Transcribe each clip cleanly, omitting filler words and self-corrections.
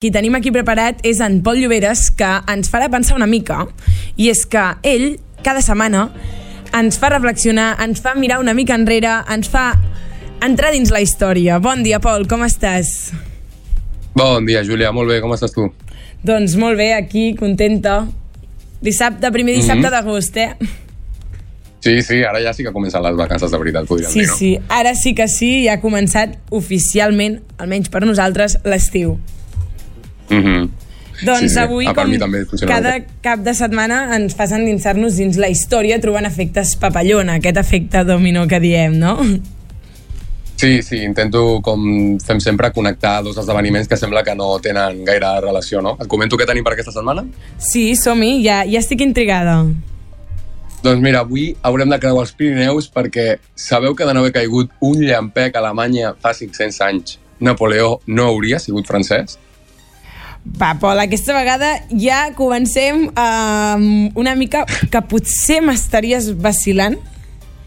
Qui tenim aquí preparat és en Pol Lloberes, que ens farà pensar una mica, i és que ell, cada setmana, ens fa reflexionar, ens fa mirar una mica enrere, ens fa entrar dins la història. Bon dia, Pol, com estàs? Bon dia, Júlia, molt bé, com estàs tu? Doncs molt bé, aquí, contenta. Primer dissabte d'agost, eh? Sí, ara ja sí que comencen les vacances de veritat, podríem dir, no? Sí, ara sí que sí, ja ha començat oficialment, almenys per nosaltres, l'estiu. Doncs avui, com cada cap de setmana, ens fas endinsar-nos dins la història trobant efectes papallona, aquest efecte dominó que diem, no? Sí, intento, com fem sempre, connectar dos esdeveniments que sembla que no tenen gaire relació, no? Et comento què tenim per aquesta setmana? Sí, som-hi, ja estic intrigada. Doncs mira, avui haurem de creuar els Pirineus perquè sabeu que de no haver caigut un llampec a Alemanya fa 500 anys, Napoleó no hauria sigut francès? Va, Pol, aquesta vegada ja comencem una mica que potser m'estaries vacilant.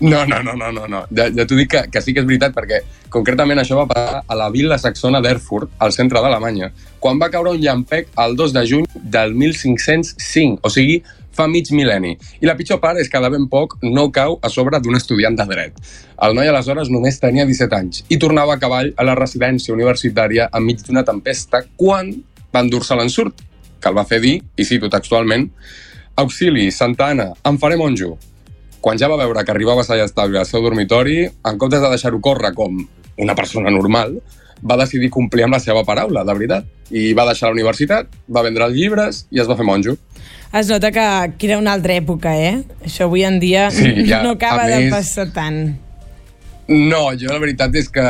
No. Ja t'ho dic que sí que és veritat, perquè concretament això va passar a la vila saxona d'Erfurt, al centre d'Alemanya, quan va caure un llampec el 2 de juny del 1505, o sigui, fa mig mil·lenni. I la pitjor part és que de ben poc no cau a sobre d'un estudiant de dret. El noi aleshores només tenia 17 anys i tornava a cavall a la residència universitària enmig d'una tempesta quan va endur-se l'ensurt, que el va fer dir, i cito textualment, «Auxili, Santa Anna, em faré monjo». Quan ja va veure que arribava a sa estable al seu dormitori, en comptes de deixar-ho córrer com una persona normal, va decidir complir amb la seva paraula, de veritat. I va deixar la universitat, va vendre els llibres i es va fer monjo. Es nota que era una altra època, eh? Això avui en dia no acaba de passar tant. No, jo la veritat és que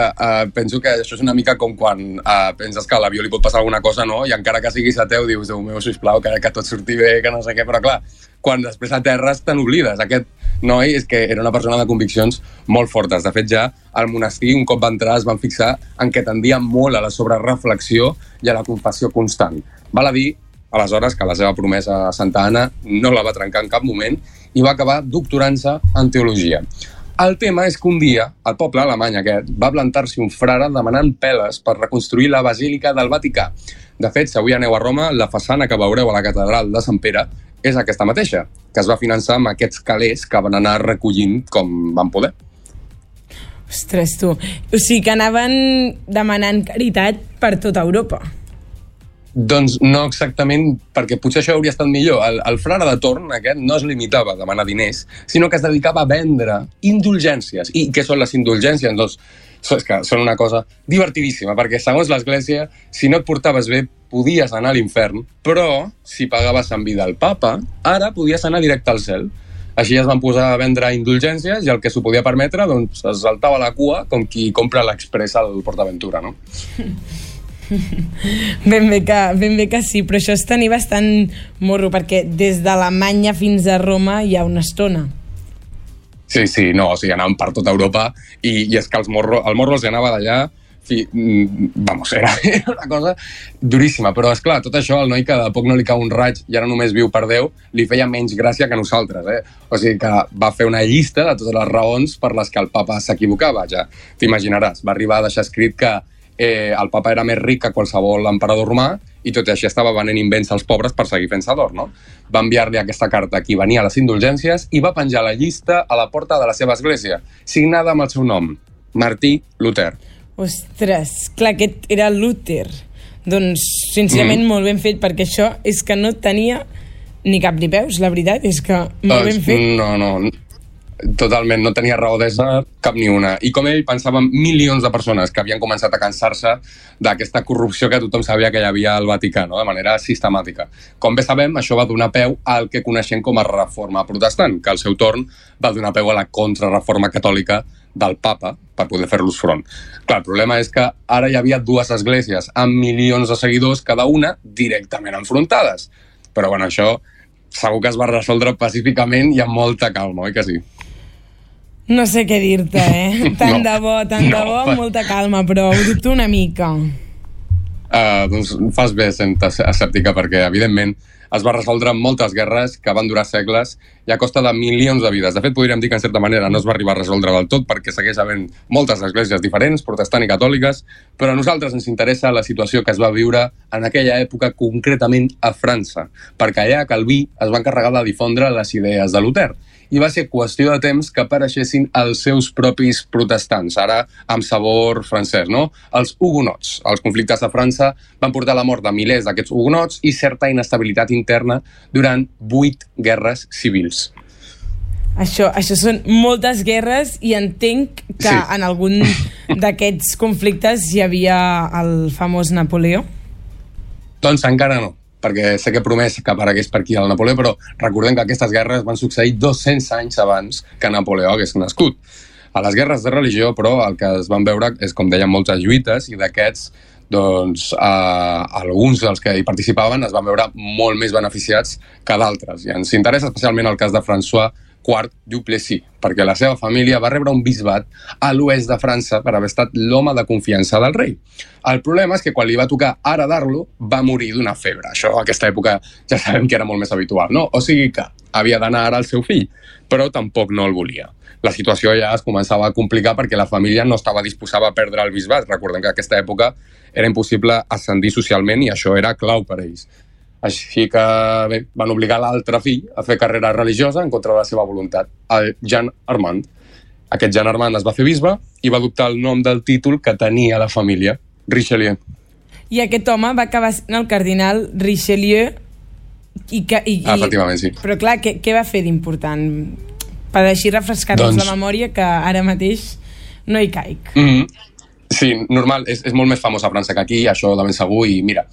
penso que això és una mica com quan penses que a l'avió li pot passar alguna cosa, no? I encara que siguis ateu dius, Déu meu, sisplau, que tot surti bé, que no sé què, però clar, quan després aterres te n'oblides. Aquest noi és que era una persona de conviccions molt fortes. De fet, ja al monestir, un cop va entrar, es van fixar en que tendia molt a la sobrereflexió i a la confessió constant. Val a dir, aleshores, que la seva promesa a Santa Anna no la va trencar en cap moment i va acabar doctorant-se en teologia. El tema és que un dia, el poble alemany aquest, va plantar-s'hi un frare demanant peles per reconstruir la Basílica del Vaticà. De fet, si avui aneu a Roma, la façana que veureu a la catedral de Sant Pere és aquesta mateixa, que es va finançar amb aquests calés que van anar recollint com van poder. Ostres, tu. O sigui que anaven demanant caritat per tota Europa. Doncs no exactament, perquè potser això hauria estat millor. El frare de torn aquest no es limitava a demanar diners, sinó que es dedicava a vendre indulgències. I què són les indulgències? Doncs és que són una cosa divertidíssima, perquè segons l'Església, si no et portaves bé, podies anar a l'infern, però si pagaves en vida al papa, ara podies anar directe al cel. Així es van posar a vendre indulgències i el que s'ho podia permetre doncs, es saltava la cua com qui compra l'express al PortAventura, no? Ben bé que sí, però això és tenir bastant morro, perquè des d'Alemanya fins a Roma hi ha una estona. Sí, no, o sigui, anaven per tota Europa i és que el morro els anava d'allà, era una cosa duríssima, però esclar, tot això al noi que de poc no li cau un raig i ara només viu per Déu, li feia menys gràcia que nosaltres, eh? O sigui que va fer una llista de totes les raons per les que el papa s'equivocava, ja t'imaginaràs, va arribar a deixar escrit que el papa era més ric que qualsevol emperador romà i tot i així estava venent invents als pobres per seguir fent-se d'or, no? Va enviar-li aquesta carta a qui venia a les indulgències i va penjar la llista a la porta de la seva església, signada amb el seu nom, Martí Luter. Ostres, clar, aquest era Luter. Doncs, sincerament, molt ben fet, perquè això és que no tenia ni cap ni peus, la veritat, és que molt ben fet. No, totalment, no tenia raó de ser cap ni una. I com ell, pensaven milions de persones que havien començat a cansar-se d'aquesta corrupció que tothom sabia que hi havia al Vaticà, no? De manera sistemàtica. Com bé sabem, això va donar peu al que coneixem com a reforma protestant, que al seu torn va donar peu a la contrarreforma catòlica del papa per poder fer-los front. Clar, el problema és que ara hi havia dues esglésies amb milions de seguidors, cada una directament enfrontades. Però bueno, això segur que es va resoldre pacíficament i amb molta calma, oi que sí? No sé què dir-te, eh? Tant de bo, amb molta calma, però ho dubto una mica. doncs fas bé sent escèptica, perquè evidentment es va resoldre moltes guerres que van durar segles i a costa de milions de vides. De fet, podríem dir que en certa manera no es va arribar a resoldre del tot perquè segueix havent moltes esglésies diferents, protestant i catòliques, però a nosaltres ens interessa la situació que es va viure en aquella època, concretament a França, perquè allà Calví es va encarregar de difondre les idees de Luter i va ser qüestió de temps que apareixessin els seus propis protestants, ara amb sabor francès, no? Els hugonots. Els conflictes de França van portar a la mort de milers d'aquests hugonots i certa inestabilitat interna durant 8 guerres civils. Això són moltes guerres i entenc que en algun d'aquests conflictes hi havia el famós Napoleó. Doncs encara no, perquè sé que he promès que aparegués per aquí el Napoleó, però recordem que aquestes guerres van succeir 200 anys abans que Napoleó hagués nascut. A les guerres de religió, però, el que es van veure és, com deien, moltes lluites, i d'aquests, doncs, alguns dels que hi participaven es van veure molt més beneficiats que d'altres. I ens interessa especialment el cas de François IV Duplessis, perquè la seva família va rebre un bisbat a l'oest de França per haver estat l'home de confiança del rei. El problema és que quan li va tocar heredar-lo, va morir d'una febre. Això, a aquesta època, ja sabem que era molt més habitual, no? O sigui que havia d'anar ara al seu fill, però tampoc no el volia. La situació ja es començava a complicar perquè la família no estava disposada a perdre el bisbat. Recordem que a aquesta època era impossible ascendir socialment i això era clau per a ells. Així que bé, van obligar l'altre fill a fer carrera religiosa en contra de la seva voluntat, el Jean Armand. Aquest Jean Armand es va fer bisbe i va adoptar el nom del títol que tenia la família, Richelieu. I aquest home va acabar sent el cardinal Richelieu efectivament, sí. Però clar, què va fer d'important? Per així refrescar-nos la memòria, que ara mateix no hi caic. Sí, normal, és molt més famós a França que aquí, això de ben segur, i mira,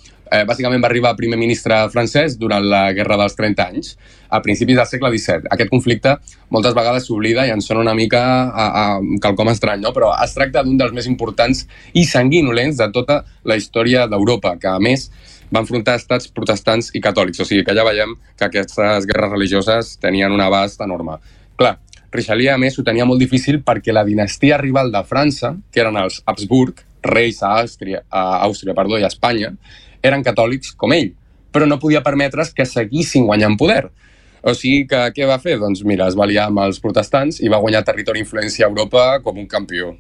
bàsicament va arribar primer ministre francès durant la Guerra dels 30 anys, a principis del segle XVII. Aquest conflicte moltes vegades s'oblida i ens sona una mica a quelcom estrany, no? Però es tracta d'un dels més importants i sanguinolents de tota la història d'Europa, que a més va enfrontar estats protestants i catòlics. O sigui que ja veiem que aquestes guerres religioses tenien un abast enorme. Clar, Richelieu, a més, ho tenia molt difícil perquè la dinastia rival de França, que eren els Habsburg, reis a Àustria i a Espanya, eren catòlics com ell, però no podia permetre's que seguissin guanyant poder. O sigui que què va fer? Doncs mira, es va aliar amb els protestants i va guanyar territori i influència a Europa com un campió.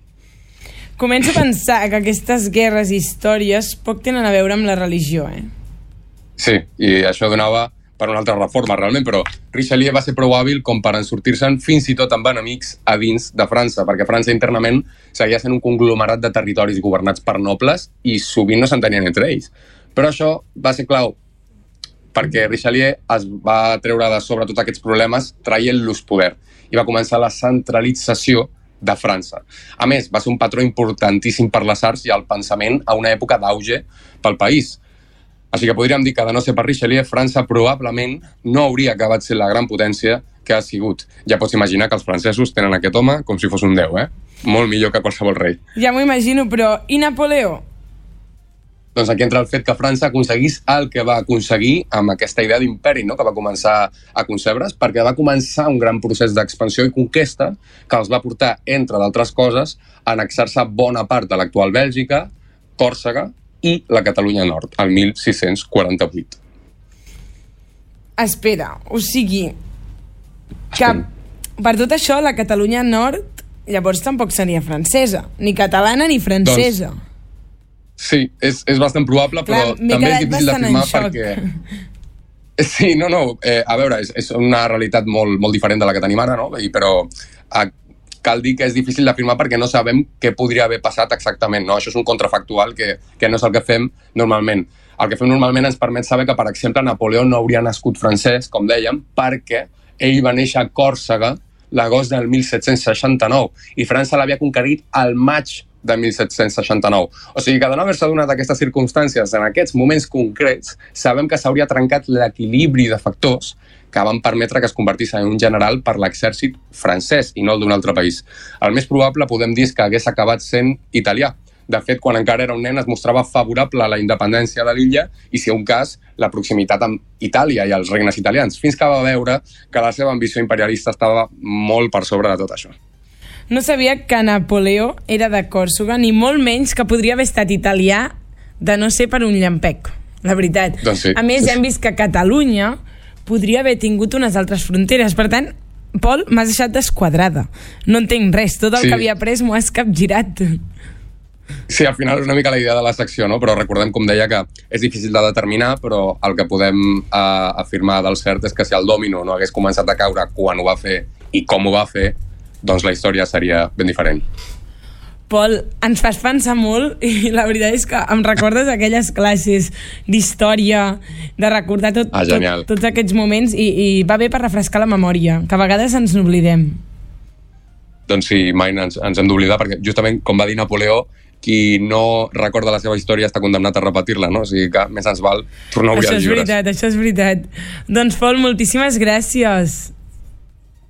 Començo a pensar que aquestes guerres i històries poc tenen a veure amb la religió, Sí, i això donava per una altra reforma, realment, però Richelieu va ser prou hàbil com per ensortir-se'n fins i tot amb enemics a dins de França, perquè França internament seguia sent un conglomerat de territoris governats per nobles i sovint no s'entenien entre ells. Però això va ser clau perquè Richelieu es va treure de sobre tots aquests problemes traient-los poder i va començar la centralització de França. A més, va ser un patró importantíssim per les arts i el pensament a una època d'auge pel país. Així que podríem dir que, de no ser per Richelieu, França probablement no hauria acabat sent la gran potència que ha sigut. Ja pots imaginar que els francesos tenen aquest home com si fos un déu, Molt millor que qualsevol rei. Ja m'ho imagino, però i Napoleó? Doncs aquí entra el fet que França aconseguís el que va aconseguir amb aquesta idea d'imperi, no?, que va començar a concebre's, perquè va començar un gran procés d'expansió i conquesta que els va portar, entre d'altres coses, a annexar-se bona part de l'actual Bèlgica, Còrsega i la Catalunya Nord, el 1648. Espera, o sigui que per tot això la Catalunya Nord llavors tampoc seria francesa, ni catalana ni francesa. Doncs, sí, és bastant probable, però també és difícil d'afirmar perquè... Sí, no, a veure, és una realitat molt diferent de la que tenim ara, no? Però cal dir que és difícil d'afirmar perquè no sabem què podria haver passat exactament, no? Això és un contrafactual que no és el que fem normalment. El que fem normalment ens permet saber que, per exemple, Napoleó no hauria nascut francès, com dèiem, perquè ell va néixer a Còrsega l'agost del 1769 i França l'havia conquerit al maig de 1769. O sigui que de no haver-se donat aquestes circumstàncies en aquests moments concrets, sabem que s'hauria trencat l'equilibri de factors que van permetre que es convertís en un general per l'exèrcit francès i no el d'un altre país. El més probable, podem dir, és que hagués acabat sent italià. De fet, quan encara era un nen, es mostrava favorable a la independència de l'illa i, si un cas, la proximitat amb Itàlia i els regnes italians, fins que va veure que la seva ambició imperialista estava molt per sobre de tot això. No sabia que Napoleó era de Còrsega, ni molt menys que podria haver estat italià de no ser per un llampec, la veritat. Doncs sí. A més, ja hem vist que Catalunya podria haver tingut unes altres fronteres. Per tant, Pol, m'has deixat desquadrada. No entenc res. Tot el que havia après m'ho has capgirat. Sí, al final és una mica la idea de la secció, no? Però recordem, com deia, que és difícil de determinar, però el que podem afirmar del cert és que si el dòmino no hagués començat a caure quan ho va fer i com ho va fer, doncs la història seria ben diferent. Pol, ens fas pensar molt i la veritat és que em recordes aquelles classes d'història, de recordar tots aquests moments i va bé per refrescar la memòria, que a vegades ens n'oblidem. Doncs sí, mai ens hem d'oblidar, perquè justament, com va dir Napoleó, qui no recorda la seva història està condemnat a repetir-la, no? O sigui que més ens val tornar a obrir els llibres. Això és veritat. Doncs, Pol, moltíssimes gràcies.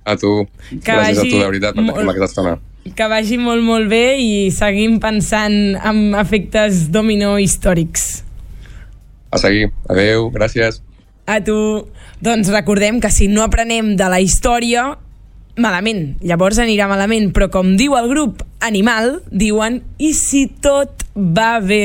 A tu. Gràcies a tu, de veritat, per tenir aquesta estona. Que vagi molt, molt bé i seguim pensant en efectes dominó històrics. A seguir. Adéu, gràcies. A tu. Doncs recordem que si no aprenem de la història, malament. Llavors anirà malament, però com diu el grup Animal, diuen: i si tot va bé...